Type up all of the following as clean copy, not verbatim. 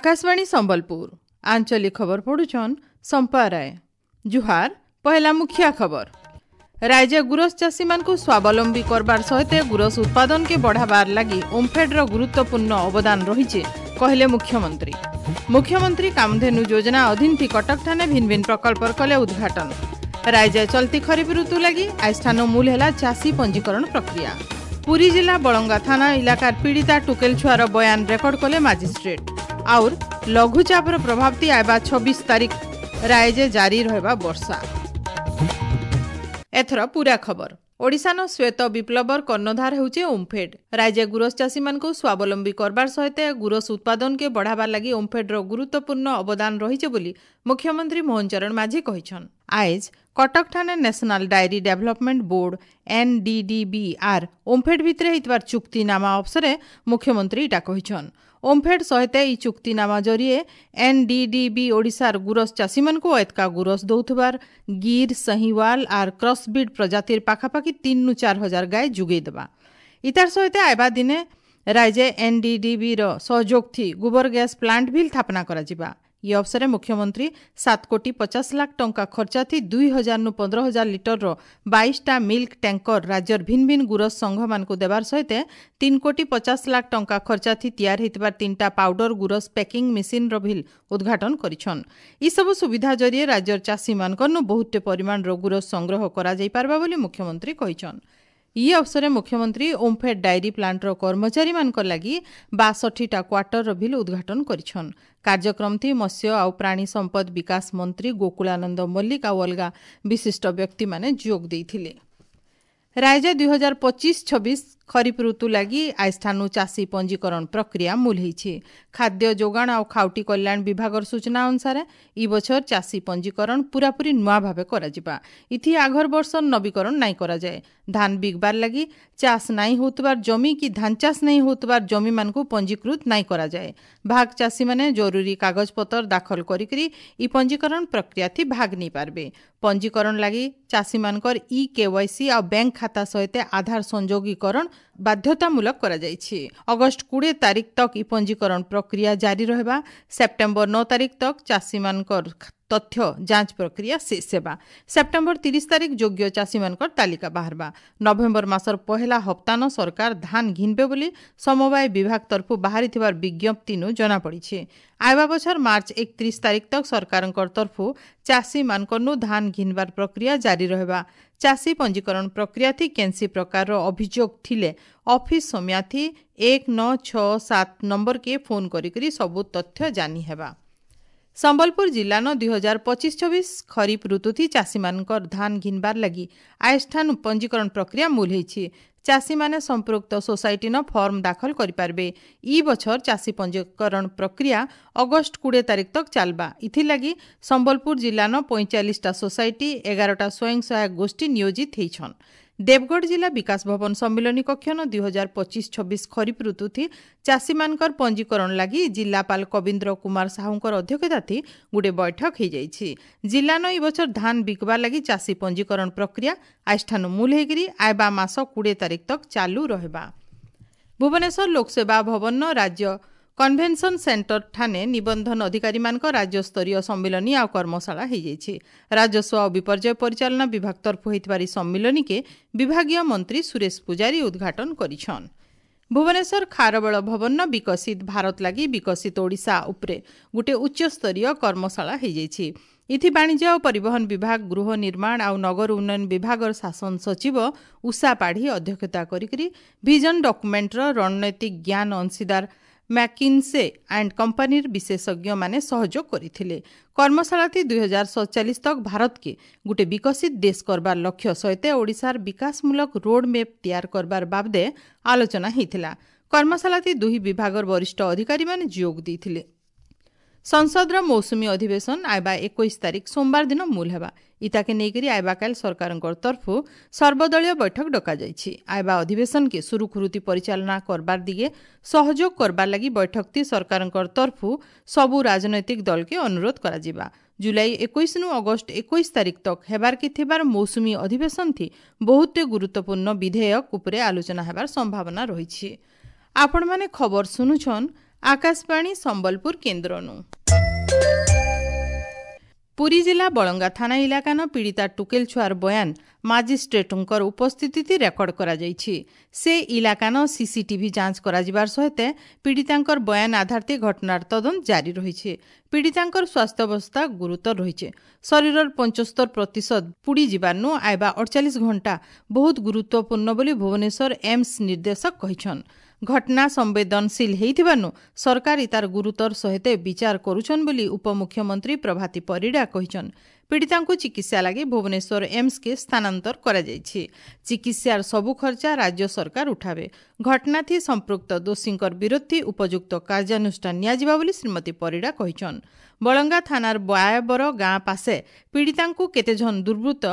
ଆକାଶବାଣୀ ସମ୍ବଲପୁର ଆଞ୍ଚଳିକ ଖବର ପଢୁଛନ୍ ସମ୍ପା ରାୟ। ଜୁହାର। ପହେଲା ମୁଖିଆ ଖବର। ରାଜ୍ୟ ଗୁରସ ଚାଷୀମାନଙ୍କୁ ସ୍ୱାବଲମ୍ବୀ କରବାର ସହିତ ଗୁରସ ଉତ୍ପାଦନକେ ବଢ଼ାବାର ଲାଗି ଓମ୍ଫେଡ୍ର ଗୁରୁତ୍ୱପୂର୍ଣ୍ଣ ଅବଦାନ ରହିଛି, କହିଲେ ମୁଖ୍ୟମନ୍ତ୍ରୀ। ମୁଖ୍ୟମନ୍ତ୍ରୀ କାମଧେନୁ ଯୋଜନା ଅଧୀନ କଟକଠାନେ ଭିନ୍ନ ଭିନ୍ନ ପ୍ରକଳ୍ପର କଲେ ଉଦ୍ଘାଟନ। ରାଜ୍ୟ ଚଲତି ଖରିଫ ଋତୁ ଲାଗି ଆଜିଠାନ ମୂଲ ହେଲା ଚାଷୀ ପଞ୍ଜୀକରଣ ପ୍ରକ୍ରିୟା। ପୁରୀ ଜିଲ୍ଲା ବଳଙ୍ଗା ଥାନା ଇଲାକାର ପୀଡ଼ିତା ଟୁକେଲ ଛୁଆର ବୟାନ ରେକର୍ଡ କଲେ ମାଜିଷ୍ଟ୍ରେଟ୍। ଆଉର ଲଘୁଚାପର ପ୍ରଭାବ ତି ଆଇବା 26 ତାରିଖ ରାୟଜେ ଜାରି ରହିବା ବର୍ଷା। ଏଥର ପୁରା ଖବର। ଓଡ଼ିଶାନ ଶ୍ୱେତ ବିପ୍ଳବର କର୍ଣ୍ଣଧାର ହେଉଛି ଓମ୍ଫେଡ୍। ରାଜ୍ୟ ଗୁରସ ଚାଷୀମାନଙ୍କୁ ସ୍ୱାବଲମ୍ବୀ କରବାର ସହିତ ଗୁରସ ଉତ୍ପାଦନକେ ବଢ଼ାବାର ଲାଗି ଓମ୍ଫେଡ୍ର ଗୁରୁତ୍ୱପୂର୍ଣ୍ଣ ଅବଦାନ ରହିଛି ବୋଲି ମୁଖ୍ୟମନ୍ତ୍ରୀ ମୋହନ ଚରଣ ମାଝୀ କହିଛନ୍। ଆଏଜ୍ କଟକଠାନେ national dairy development board NDDB ଆର୍ ଓମ୍ଫେଡ୍ ଭିତରେ ହେଇଥିବାର ଚୁକ୍ତିନାମା ଅବସରେ ମୁଖ୍ୟମନ୍ତ୍ରୀ ଇଟା କହିଛନ୍। ଓମ୍ଫେଡ୍ ସହିତ ଇ ଚୁକ୍ତିନାମା ଜରିଏ ଏନ୍ଡିଡିବି ଓଡ଼ିଶାର ଗୁରସ ଚାଷୀମାନଙ୍କୁ ଏତକା ଗୁରସ ଦଉଥିବାର ଗିର୍, ସହିୱାଲ ଆର୍ କ୍ରସବିଡ୍ ପ୍ରଜାତିର ପାଖାପାଖି 3 ରୁ 4 ହଜାର ଗାଈ ଯୋଗେଇ ଦେବା। ଇତାର ସହିତ ଆଇବା ଦିନେ ରାଜ୍ୟ ଏନ୍ଡିଡିବିର ସହଯୋଗ ଥି ଗୋବର ଗ୍ୟାସ୍ ପ୍ଲାଣ୍ଟ ଭିଲ୍ ସ୍ଥାପନା କରାଯିବା। ଇ ଅବସରେ ମୁଖ୍ୟମନ୍ତ୍ରୀ 7 କୋଟି 50 ଲାଖ ଟଙ୍କା ଖର୍ଚ୍ଚା ଥି 2000 ନୁ 15,000 ଲିଟରର 22ଟା ମିଲ୍କ ଟ୍ୟାଙ୍କର ରାଜ୍ୟର ଭିନ୍ନ ଭିନ୍ନ ଗୁରସ ସଂଘମାନଙ୍କୁ ଦେବାର ସହିତ 3 କୋଟି 50 ଲାଖ ଟଙ୍କା ଖର୍ଚ୍ଚା ଥି ତିଆର ହେଇଥିବାର ତିନିଟା ପାଉଡର ଗୁରସ ପ୍ୟାକିଂ ମେସିନ୍ର ଭିଲ୍ ଉଦ୍ଘାଟନ କରିଛନ୍। ଇସବୁ ସୁବିଧା ଜରିଏ ରାଜ୍ୟର ଚାଷୀମାନଙ୍କରନୁ ବହୁତଟେ ପରିମାଣର ଗୁରସ ସଂଗ୍ରହ କରାଯାଇପାରବା ବୋଲି ମୁଖ୍ୟମନ୍ତ୍ରୀ କହିଛନ୍। ଇ ଅବସରେ ମୁଖ୍ୟମନ୍ତ୍ରୀ ଓମ୍ଫେଡ୍ ଡାଏରୀ ପ୍ଲାଣ୍ଟର କର୍ମଚାରୀମାନଙ୍କ ଲାଗି 62ଟା କ୍ୱାର୍ଟରର ଭିଲ୍ ଉଦ୍ଘାଟନ କରିଛନ୍। କାର୍ଯ୍ୟକ୍ରମଥି ମତ୍ସ୍ୟ ଆଉ ପ୍ରାଣୀ ସମ୍ପଦ ବିକାଶ ମନ୍ତ୍ରୀ ଗୋକୁଳାନନ୍ଦ ମଲ୍ଲିକ ଆଉ ଅଲଗା ବିଶିଷ୍ଟ ବ୍ୟକ୍ତିମାନେ ଯୋଗ ଦେଇଥିଲେ। ରାଜ୍ୟ 2025-26 ଖରିଫ ଋତୁ ଲାଗି ଆଜିଠାନୁ ଚାଷୀ ପଞ୍ଜୀକରଣ ପ୍ରକ୍ରିୟା ମୂଲ ହେଇଛି। ଖାଦ୍ୟ ଯୋଗାଣ ଆଉ ଖାଉଟି କଲ୍ୟାଣ ବିଭାଗର ସୂଚନା ଅନୁସାରେ ଇ ବଛର ଚାଷୀ ପଞ୍ଜୀକରଣ ପୁରାପୁରି ନୂଆ ଭାବେ କରାଯିବା। ଇଥି ଆଘର ବର୍ଷ ନବୀକରଣ ନାଇଁ କରାଯାଏ। ଧାନ ବିକବାର ଲାଗି ଚାଷ ନାଇଁ ହେଉଥିବାର ଜମି କି ଧାନ ଚାଷ ନାଇଁ ହେଉଥିବାର ଜମିମାନଙ୍କୁ ପଞ୍ଜୀକୃତ ନାଇଁ କରାଯାଏ। ଭାଗ ଚାଷୀମାନେ ଜରୁରୀ କାଗଜପତ୍ର ଦାଖଲ କରିକରି ଇ ପଞ୍ଜୀକରଣ ପ୍ରକ୍ରିୟାଥି ଭାଗ ନେଇପାରିବେ। ପଞ୍ଜୀକରଣ ଲାଗି ଚାଷୀମାନଙ୍କର ଇ କେୱାଇସି ଆଉ ବ୍ୟାଙ୍କ ଖାତା ସହିତ ଆଧାର ସଂଯୋଗୀକରଣ ବାଧ୍ୟତାମୂଳକ କରାଯାଇଛି। ଅଗଷ୍ଟ 20 ତାରିଖ ତକ୍ ଇ ପଞ୍ଜୀକରଣ ପ୍ରକ୍ରିୟା ଜାରି ରହିବା। ସେପ୍ଟେମ୍ବର 9 ତାରିଖ ତକ୍ ଚାଷୀମାନଙ୍କର ତଥ୍ୟ ଯାଞ୍ଚ ପ୍ରକ୍ରିୟା ଶେଷ ହେବା। ସେପ୍ଟେମ୍ବର 30 ତାରିଖ ଯୋଗ୍ୟ ଚାଷୀମାନଙ୍କର ତାଲିକା ବାହାରବା। ନଭେମ୍ବର ମାସର ପହେଲା ହପ୍ତାନ ସରକାର ଧାନ ଘିନବେ ବୋଲି ସମବାୟ ବିଭାଗ ତରଫୁ ବାହାରିଥିବାର ବିଜ୍ଞପ୍ତିନୁ ଜଣାପଡ଼ିଛି। ଆଇବା ବଛର ମାର୍ଚ୍ଚ 31 ତାରିଖ ତକ୍ ସରକାରଙ୍କର ତରଫୁ ଚାଷୀମାନଙ୍କରନୁ ଧାନ ଘିନବାର ପ୍ରକ୍ରିୟା ଜାରି ରହିବା। ଚାଷୀ ପଞ୍ଜୀକରଣ ପ୍ରକ୍ରିୟାଥି କେନ୍ସି ପ୍ରକାରର ଅଭିଯୋଗ ଥିଲେ ଅଫିସ ସମୟାଥି 1967 ନମ୍ବରକେ ଫୋନ୍ କରିକରି ସବୁ ତଥ୍ୟ ଜାନି ହେବା। ସମ୍ବଲପୁର ଜିଲ୍ଲାନ 2025-26 ଖରିଫ ଋତୁଥି ଚାଷୀମାନଙ୍କର ଧାନ ଘିନବାର ଲାଗି ଆଜିଠାନୁ ପଞ୍ଜୀକରଣ ପ୍ରକ୍ରିୟା ମୂଲ ହେଇଛି। ଚାଷୀମାନେ ସମ୍ପୃକ୍ତ ସୋସାଇଟିନ ଫର୍ମ ଦାଖଲ କରିପାରିବେ। ଇ ବଛର ଚାଷୀ ପଞ୍ଜୀକରଣ ପ୍ରକ୍ରିୟା ଅଗଷ୍ଟ 20 ତାରିଖ ତକ୍ ଚାଲବା। ଇଥିଲାଗି ସମ୍ବଲପୁର ଜିଲ୍ଲାନ 45ଟା ସୋସାଇଟି, 11ଟା ସ୍ୱୟଂ ସହାୟକ ଗୋଷ୍ଠୀ ନିୟୋଜିତ ହେଇଛନ୍। ଦେବଗଡ଼ ଜିଲ୍ଲା ବିକାଶ ଭବନ ସମ୍ମିଳନୀ କକ୍ଷନ 2025-26 ଖରିଫ ଋତୁଥି ଚାଷୀମାନଙ୍କର ପଞ୍ଜୀକରଣ ଲାଗି ଜିଲ୍ଲାପାଳ କବୀନ୍ଦ୍ର କୁମାର ସାହୁଙ୍କର ଅଧ୍ୟକ୍ଷତାଥି ଗୋଟେ ବୈଠକ ହେଇଯାଇଛି। ଜିଲ୍ଲାନ ଇ ବଛର ଧାନ ବିକବାର ଲାଗି ଚାଷୀ ପଞ୍ଜୀକରଣ ପ୍ରକ୍ରିୟା ଆଜିଠାନୁ ମୂଲ ହେଇକରି ଆଇବା ମାସ 20 ତାରିଖ ତକ୍ ଚାଲୁ ରହିବା। ଭୁବନେଶ୍ୱର ଲୋକସେବା ଭବନର ରାଜ୍ୟ କନଭେନସନ ସେଣ୍ଟର ଠାନେ ନିବନ୍ଧନ ଅଧିକାରୀମାନଙ୍କ ରାଜ୍ୟସ୍ତରୀୟ ସମ୍ମିଳନୀ ଆଉ କର୍ମଶାଳା ହେଇଯାଇଛି। ରାଜସ୍ୱ ଆଉ ବିପର୍ଯ୍ୟୟ ପରିଚାଳନା ବିଭାଗ ତରଫୁ ହେଇଥିବାର ଏହି ସମ୍ମିଳନୀକେ ବିଭାଗୀୟ ମନ୍ତ୍ରୀ ସୁରେଶ ପୂଜାରୀ ଉଦ୍ଘାଟନ କରିଛନ୍। ଭୁବନେଶ୍ୱର ଖାରବେଳ ଭବନର ବିକଶିତ ଭାରତ ଲାଗି ବିକଶିତ ଓଡ଼ିଶା ଉପରେ ଗୋଟେ ଉଚ୍ଚସ୍ତରୀୟ କର୍ମଶାଳା ହେଇଯାଇଛି। ଇଥି ବାଣିଜ୍ୟ ଆଉ ପରିବହନ ବିଭାଗ, ଗୃହ ନିର୍ମାଣ ଆଉ ନଗର ଉନ୍ନୟନ ବିଭାଗର ଶାସନ ସଚିବ ଉଷା ପାଢ଼ୀ ଅଧ୍ୟକ୍ଷତା କରିକରି ଭିଜନ ଡକୁମେଣ୍ଟର ରଣନୈତିକ ଜ୍ଞାନ ଅଂଶୀଦାର ମ୍ୟାକିନ୍ସେ ଆଣ୍ଡ କମ୍ପାନୀର ବିଶେଷଜ୍ଞମାନେ ସହଯୋଗ କରିଥିଲେ। କର୍ମଶାଳାଟି 2047 ତକ୍ ଭାରତକେ ଗୋଟେ ବିକଶିତ ଦେଶ କରବାର ଲକ୍ଷ୍ୟ ସହିତ ଓଡ଼ିଶାର ବିକାଶମୂଳକ ରୋଡ ମ୍ୟାପ୍ ତିଆର କରବାର ବାବଦେ ଆଲୋଚନା ହେଇଥିଲା। କର୍ମଶାଳାଟି ଦୁହି ବିଭାଗର ବରିଷ୍ଠ ଅଧିକାରୀମାନେ ଯୋଗ ଦେଇଥିଲେ। ସଂସଦର ମୌସୁମୀ ଅଧିବେଶନ ଆଇବା 21 ତାରିଖ ସୋମବାର ଦିନ ମୂଲ ହେବା। ଇତାକେ ନେଇକରି ଆଇବାକାଲ ସରକାରଙ୍କର ତରଫୁ ସର୍ବଦଳୀୟ ବୈଠକ ଡକାଯାଇଛି। ଆଇବା ଅଧିବେଶନକେ ସୁରୁଖୁରୁତି ପରିଚାଳନା କରବାର ଦିଗେ ସହଯୋଗ କରବାର ଲାଗି ବୈଠକତି ସରକାରଙ୍କର ତରଫୁ ସବୁ ରାଜନୈତିକ ଦଳକେ ଅନୁରୋଧ କରାଯିବା। ଜୁଲାଇ 21ନୁ ଅଗଷ୍ଟ 21 ତାରିଖ ତକ୍ ହେବାରକେ ଥିବାର ମୌସୁମୀ ଅଧିବେଶନ ଥି ବହୁତେ ଗୁରୁତ୍ୱପୂର୍ଣ୍ଣ ବିଧେୟକ ଉପରେ ଆଲୋଚନା ହେବାର ସମ୍ଭାବନା ରହିଛି। ଆପଣମାନେ ଖବର ଶୁଣୁଛନ୍ ଆକାଶବାଣୀ ସମ୍ବଲପୁର କେନ୍ଦ୍ରନୁ। ପୁରୀ ଜିଲ୍ଲା ବଳଙ୍ଗା ଥାନା ଇଲାକାନ ପୀଡ଼ିତା ଟୁକେଲ ଛୁଆର ବୟାନ ମାଜିଷ୍ଟ୍ରେଟଙ୍କର ଉପସ୍ଥିତି ରେକର୍ଡ କରାଯାଇଛି। ସେ ଇଲାକାନ ସିସିଟିଭି ଯାଞ୍ଚ କରାଯିବାର ସହିତ ପୀଡ଼ିତାଙ୍କର ବୟାନ ଆଧାରରେ ଘଟଣାର ତଦନ୍ତ ଜାରି ରହିଛି। ପୀଡ଼ିତାଙ୍କର ସ୍ୱାସ୍ଥ୍ୟାବସ୍ଥା ଗୁରୁତର ରହିଛି। ଶରୀରର 75% ପୁଡ଼ି ଯିବାର୍ନୁ ଆଇବା 48 ଘଣ୍ଟା ବହୁତ ଗୁରୁତ୍ୱପୂର୍ଣ୍ଣ ବୋଲି ଭୁବନେଶ୍ୱର ଏମ୍ସ ନିର୍ଦ୍ଦେଶକ କହିଛନ୍। ଘଟଣା ସମ୍ବେଦନଶୀଳ ହେଇଥିବାରୁ ସରକାର ଇତାର ଗୁରୁତର ସହିତ ବିଚାର କରୁଛନ୍ ବୋଲି ଉପମୁଖ୍ୟମନ୍ତ୍ରୀ ପ୍ରଭାତୀ ପରିଡ଼ା କହିଛନ୍। ପୀଡ଼ିତାଙ୍କୁ ଚିକିତ୍ସା ଲାଗି ଭୁବନେଶ୍ୱର ଏମ୍ସକେ ସ୍ଥାନାନ୍ତର କରାଯାଇଛି। ଚିକିତ୍ସାର ସବୁ ଖର୍ଚ୍ଚା ରାଜ୍ୟ ସରକାର ଉଠାବେ। ଘଟଣାଥି ସମ୍ପୃକ୍ତ ଦୋଷୀଙ୍କର ବିରୋଧୀ ଉପଯୁକ୍ତ କାର୍ଯ୍ୟାନୁଷ୍ଠାନ ନିଆଯିବ ବୋଲି ଶ୍ରୀମତୀ ପରିଡ଼ା କହିଛନ୍। ବଳଙ୍ଗା ଥାନାର ବୟାବର ଗାଁ ପାଶେ ପୀଡ଼ିତାଙ୍କୁ କେତେଜଣ ଦୁର୍ବୃତ୍ତ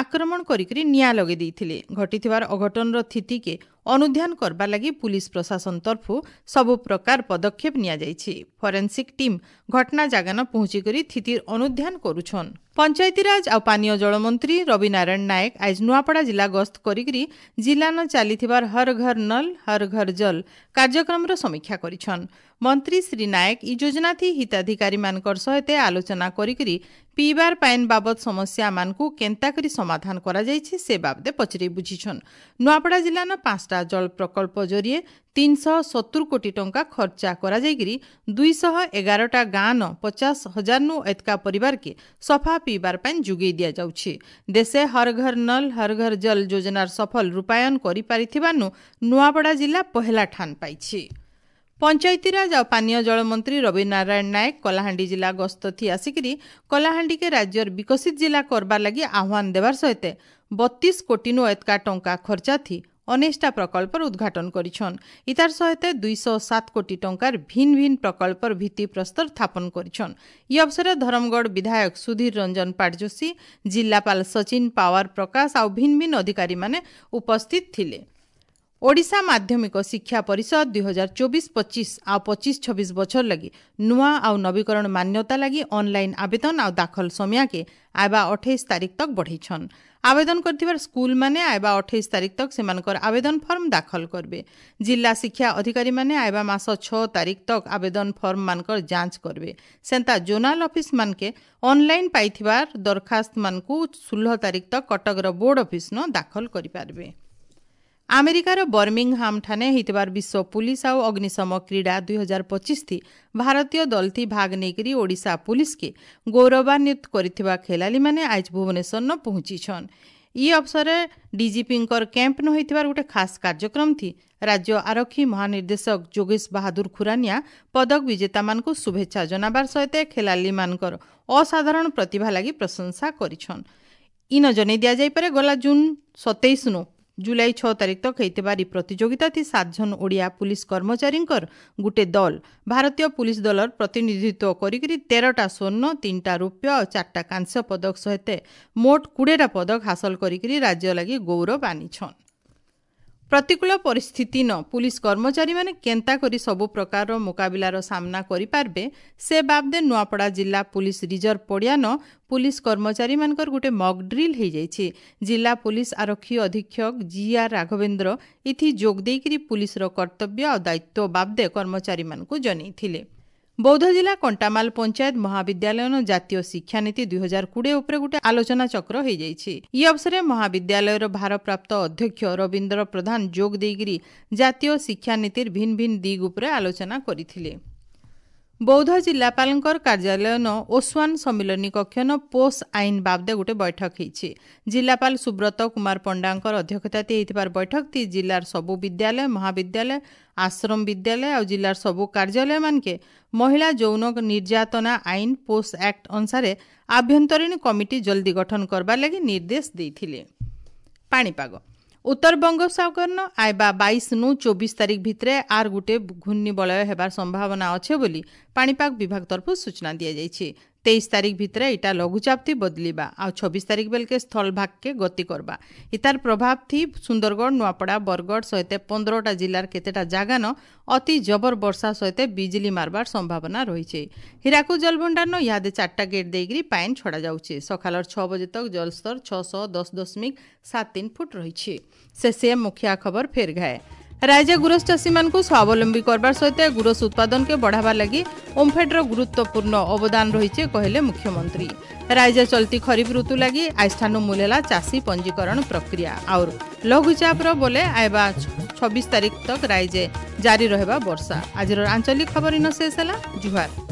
ଆକ୍ରମଣ କରିକରି ନିଆଁ ଲଗାଇ ଦେଇଥିଲେ। ଘଟିଥିବାର ଅଘଟଣର ସ୍ଥିତିକେ ଅନୁଧ୍ୟାନ କରବା ଲାଗି ପୁଲିସ ପ୍ରଶାସନ ତରଫରୁ ସବୁ ପ୍ରକାର ପଦକ୍ଷେପ ନିଆଯାଇଛି। ଫରେନ୍ସିକ୍ ଟିମ୍ ଘଟଣା ଜାଗାନ ପହଞ୍ଚିକରି ସ୍ଥିତିର ଅନୁଧ୍ୟାନ କରୁଛନ୍। ପଞ୍ଚାୟତିରାଜ ଆଉ ପାନୀୟ ଜଳ ମନ୍ତ୍ରୀ ରବି ନାରାୟଣ ନାୟକ ଆଜ ନୂଆପଡ଼ା ଜିଲ୍ଲା ଗସ୍ତ କରିକରି ଜିଲ୍ଲାନ ଚାଲିଥିବାର ହର ଘର ନଲ ହର ଘର ଜଲ କାର୍ଯ୍ୟକ୍ରମର ସମୀକ୍ଷା କରିଛନ୍। ମନ୍ତ୍ରୀ ଶ୍ରୀ ନାୟକ ଇ ଯୋଜନାଥି ହିତାଧିକାରୀମାନଙ୍କର ସହିତ ଆଲୋଚନା କରିକରି ପିଇବାର ପାଏନ୍ ବାବଦ ସମସ୍ୟାମାନଙ୍କୁ କେନ୍ତା କରି ସମାଧାନ କରାଯାଇଛି ସେ ବାବଦେ ପଚରେଇ ବୁଝିଛନ୍। ନୂଆପଡ଼ା ଜିଲ୍ଲାନ 5ଟା ଜଳ ପ୍ରକଳ୍ପ ଜରିଏ 370 କୋଟି ଟଙ୍କା ଖର୍ଚ୍ଚା କରାଯାଇକିରି 211ଟା ଗାଁନ 50,000ନୁ ଏତକା ପରିବାରକେ ସଫା ପିଇବାର ପାଏନ୍ ଯୋଗାଇ ଦିଆଯାଉଛି। ଦେଶେ ହର ଘର ନଲ ହର ଘର ଜଲ ଯୋଜନାର ସଫଳ ରୂପାୟନ କରିପାରିଥିବାରୁ ନୂଆପଡ଼ା ଜିଲ୍ଲା ପହେଲା ଠାନ ପାଇଛି। ପଞ୍ଚାୟତିରାଜ ଆଉ ପାନୀୟ ଜଳ ମନ୍ତ୍ରୀ ରବି ନାରାୟଣ ନାୟକ କଳାହାଣ୍ଡି ଜିଲ୍ଲା ଗସ୍ତ ଥି ଆସିକରି କଳାହାଣ୍ଡିକେ ରାଜ୍ୟର ବିକଶିତ ଜିଲ୍ଲା କରବାର ଲାଗି ଆହ୍ୱାନ ଦେବାର ସହିତ 32 କୋଟିନୁ ଏତକା ଟଙ୍କା ଖର୍ଚ୍ଚା ଥି 19ଟା ପ୍ରକଳ୍ପର ଉଦ୍ଘାଟନ କରିଛନ୍। ଇତାର ସହିତ 207 କୋଟି ଟଙ୍କାର ଭିନ୍ନ ଭିନ୍ନ ପ୍ରକଳ୍ପର ଭିତ୍ତିପ୍ରସ୍ତର ସ୍ଥାପନ କରିଛନ୍। ଇ ଅବସରରେ ଧରମଗଡ଼ ବିଧାୟକ ସୁଧୀର ରଞ୍ଜନ ପାଟଯୋଶୀ, ଜିଲ୍ଲାପାଳ ସଚିନ ପାୱାର ପ୍ରକାଶ ଆଉ ଭିନ୍ନ ଭିନ୍ନ ଅଧିକାରୀମାନେ ଉପସ୍ଥିତ ଥିଲେ। ଓଡ଼ିଶା ମାଧ୍ୟମିକ ଶିକ୍ଷା ପରିଷଦ 2024-25 ଆଉ 25-26 ବଛର ଲାଗି ନୂଆ ଆଉ ନବୀକରଣ ମାନ୍ୟତା ଲାଗି ଅନଲାଇନ୍ ଆବେଦନ ଆଉ ଦାଖଲ ସମୟକେ ଆଇବା 28 ତାରିଖ ତକ ବଢ଼େଇଛନ୍। ଆବେଦନ କରିଥିବାର ସ୍କୁଲମାନେ ଆଇବା 28 ତାରିଖ ତକ ସେମାନଙ୍କର ଆବେଦନ ଫର୍ମ ଦାଖଲ କରିବେ। ଜିଲ୍ଲା ଶିକ୍ଷା ଅଧିକାରୀମାନେ ଆଇବା ମାସ 6 ତାରିଖ ତକ ଆବେଦନ ଫର୍ମମାନଙ୍କର ଯାଞ୍ଚ କରିବେ। ସେନ୍ତା ଜୋନାଲ ଅଫିସମାନକେ ଅନଲାଇନ୍ ପାଇଥିବାର ଦରଖାସ୍ତମାନଙ୍କୁ 16 ତାରିଖ ତକ କଟକର ବୋର୍ଡ ଅଫିସନ ଦାଖଲ କରିପାରିବେ। ଆମେରିକାର ବର୍ମିଂହାମ ଠାନେ ହେଇଥିବାର ବିଶ୍ୱ ପୁଲିସ ଆଉ ଅଗ୍ନିଶମ କ୍ରୀଡ଼ା 2025 ଭାରତୀୟ ଦଳଥି ଭାଗ ନେଇକରି ଓଡ଼ିଶା ପୁଲିସକେ ଗୌରବାନ୍ୱିତ କରିଥିବା ଖେଳାଳିମାନେ ଆଜ ଭୁବନେଶ୍ୱରନ ପହଞ୍ଚିଛନ୍। ଇ ଅବସରରେ ଡିଜିପିଙ୍କର କ୍ୟାମ୍ପ ନ ହୋଇଥିବାର ଗୋଟେ ଖାସ୍ କାର୍ଯ୍ୟକ୍ରମ ଥି ରାଜ୍ୟ ଆରକ୍ଷୀ ମହାନିର୍ଦ୍ଦେଶକ ଯୋଗେଶ ବାହାଦୁର ଖୁରାନିଆ ପଦକ ବିଜେତାମାନଙ୍କୁ ଶୁଭେଚ୍ଛା ଜଣାବାର ସହିତ ଖେଳାଳିମାନଙ୍କର ଅସାଧାରଣ ପ୍ରତିଭା ଲାଗି ପ୍ରଶଂସା କରିଛନ୍। ଇନ ଜଣାଇ ଦିଆଯାଇପାରେ, ଗଲା ଜୁନ୍ 27ନୁ ଜୁଲାଇ 6 ତାରିଖ ତକ ହେଇଥିବାର ଇ ପ୍ରତିଯୋଗିତା ଥି 7 ଜଣ ଓଡ଼ିଆ ପୁଲିସ କର୍ମଚାରୀଙ୍କର ଗୋଟେ ଦଳ ଭାରତୀୟ ପୁଲିସ ଦଳର ପ୍ରତିନିଧିତ୍ୱ କରିକରି 13ଟା ସ୍ୱର୍ଣ୍ଣ, 3ଟା ରୌପ୍ୟ ଆଉ 4ଟା କାଂସ୍ୟ ପଦକ ସହିତ ମୋଟ 20ଟା ପଦକ ହାସଲ କରିକରି ରାଜ୍ୟ ଲାଗି ଗୌରବ ଆନିଛନ୍। ପ୍ରତିକୂଳ ପରିସ୍ଥିତି ନ ପୁଲିସ କର୍ମଚାରୀମାନେ କେନ୍ତା କରି ସବୁ ପ୍ରକାରର ମୁକାବିଲାର ସାମ୍ନା କରିପାରିବେ ସେ ବାବଦେ ନୂଆପଡ଼ା ଜିଲ୍ଲା ପୁଲିସ ରିଜର୍ଭ ପଡ଼ିଆନ ପୁଲିସ କର୍ମଚାରୀମାନଙ୍କର ଗୋଟେ ମକ୍ ଡ୍ରିଲ୍ ହେଇଯାଇଛି। ଜିଲ୍ଲା ପୁଲିସ ଆରକ୍ଷୀ ଅଧୀକ୍ଷକ ଜି ଆର୍ ରାଘବେନ୍ଦ୍ର ଇଥି ଯୋଗ ଦେଇକରି ପୁଲିସର କର୍ତ୍ତବ୍ୟ ଆଉ ଦାୟିତ୍ୱ ବାବଦେ କର୍ମଚାରୀମାନଙ୍କୁ ଜଣାଇଥିଲେ। ବୌଦ୍ଧ ଜିଲ୍ଲା କଣ୍ଟାମାଲ ପଞ୍ଚାୟତ ମହାବିଦ୍ୟାଳୟର ଜାତୀୟ ଶିକ୍ଷାନୀତି 2020 ଉପରେ ଗୋଟେ ଆଲୋଚନା ଚକ୍ର ହେଇଯାଇଛି। ଇ ଅବସରରେ ମହାବିଦ୍ୟାଳୟର ଭାରପ୍ରାପ୍ତ ଅଧ୍ୟକ୍ଷ ରବୀନ୍ଦ୍ର ପ୍ରଧାନ ଯୋଗ ଦେଇକରି ଜାତୀୟ ଶିକ୍ଷାନୀତିର ଭିନ୍ନ ଭିନ୍ନ ଦିଗ ଉପରେ ଆଲୋଚନା କରିଥିଲେ। ବୌଦ୍ଧ ଜିଲ୍ଲାପାଳଙ୍କର କାର୍ଯ୍ୟାଳୟନ ଓସ୍ୱାନ ସମ୍ମିଳନୀ କକ୍ଷନ ପୋଷ ଆଇନ ବାବଦେ ଗୋଟେ ବୈଠକ ହେଇଛି। ଜିଲ୍ଲାପାଳ ସୁବ୍ରତ କୁମାର ପଣ୍ଡାଙ୍କର ଅଧ୍ୟକ୍ଷତାରେ ହେଇଥିବାର ବୈଠକଟି ଜିଲ୍ଲାର ସବୁ ବିଦ୍ୟାଳୟ, ମହାବିଦ୍ୟାଳୟ, ଆଶ୍ରମ ବିଦ୍ୟାଳୟ ଆଉ ଜିଲ୍ଲାର ସବୁ କାର୍ଯ୍ୟାଳୟମାନକେ ମହିଳା ଯୌନ ନିର୍ଯାତନା ଆଇନ ପୋଷ ଆକ୍ଟ ଅନୁସାରେ ଆଭ୍ୟନ୍ତରୀଣ କମିଟି ଜଲ୍ଦି ଗଠନ କରବାର ଲାଗି ନିର୍ଦ୍ଦେଶ ଦେଇଥିଲେ। ପାଣିପାଗ ଉତ୍ତର ବଙ୍ଗୋପସାଗରନ ଆଇବା 22 ନୁ 24 ତାରିଖ ଭିତରେ ଆର୍ ଗୋଟେ ଘୂର୍ଣ୍ଣିବଳୟ ହେବାର ସମ୍ଭାବନା ଅଛେ ବୋଲି ପାଣିପାଗ ବିଭାଗ ତରଫରୁ ସୂଚନା ଦିଆଯାଇଛି। 23 ତାରିଖ ଭିତରେ ଇଟା ଲଘୁଚାପ ଥି ବଦଲିବା ଆଉ 26 ତାରିଖ ବେଲକେ ସ୍ଥଳଭାଗକେ ଗତି କରବା। ଇତାର ପ୍ରଭାବ ଥି ସୁନ୍ଦରଗଡ଼, ନୂଆପଡ଼ା, ବରଗଡ଼ ସହିତ 15ଟା ଜିଲ୍ଲାର କେତେଟା ଜାଗାନ ଅତି ଜବର ବର୍ଷା ସହିତ ବିଜଲି ମାରବାର ସମ୍ଭାବନା ରହିছে। ହୀରାକୁଦ ଜଳଭଣ୍ଡାରନ ଇହାଦେ 4ଟା ଗେଟ୍ ଦେଇକରି ପାଏନ୍ ଛଡ଼ାଯାଉଛି। ସକାଳର 6 ବଜେ ତକ ଜଳସ୍ତର 610.73 ଫୁଟ ରହିଛି। ସେ ମୁଖିଆ ଖବର ଫେର ଘାଏ। ରାଜ୍ୟ ଗୁରସ ଚାଷୀମାନଙ୍କୁ ସ୍ୱାବଲମ୍ବୀ କରବାର ସହିତ ଗୁରସ ଉତ୍ପାଦନକେ ବଢ଼ାବାର ଲାଗି ଓମ୍ଫେଡ୍ର ଗୁରୁତ୍ୱପୂର୍ଣ୍ଣ ଅବଦାନ ରହିছে କହିଲେ ମୁଖ୍ୟମନ୍ତ୍ରୀ। ରାଜ୍ୟ ଚଲତି ଖରିଫ ଋତୁ ଲାଗି ଆଇଷ୍ଠାନୁ ମୂଲେଲା ଚାଷୀ ପଞ୍ଜୀକରଣ ପ୍ରକ୍ରିୟା। और ଲଘୁଚାପର ବୋଲେ ଆଇବା 26 ତାରିଖ ତକ ରାଜ୍ୟ ଜାରି ରହିବା ବର୍ଷା। ଆଜିର ଆଞ୍ଚଳିକ ଖବର ଇନ ଶେଷ ହେଲା। ଜୁହାର।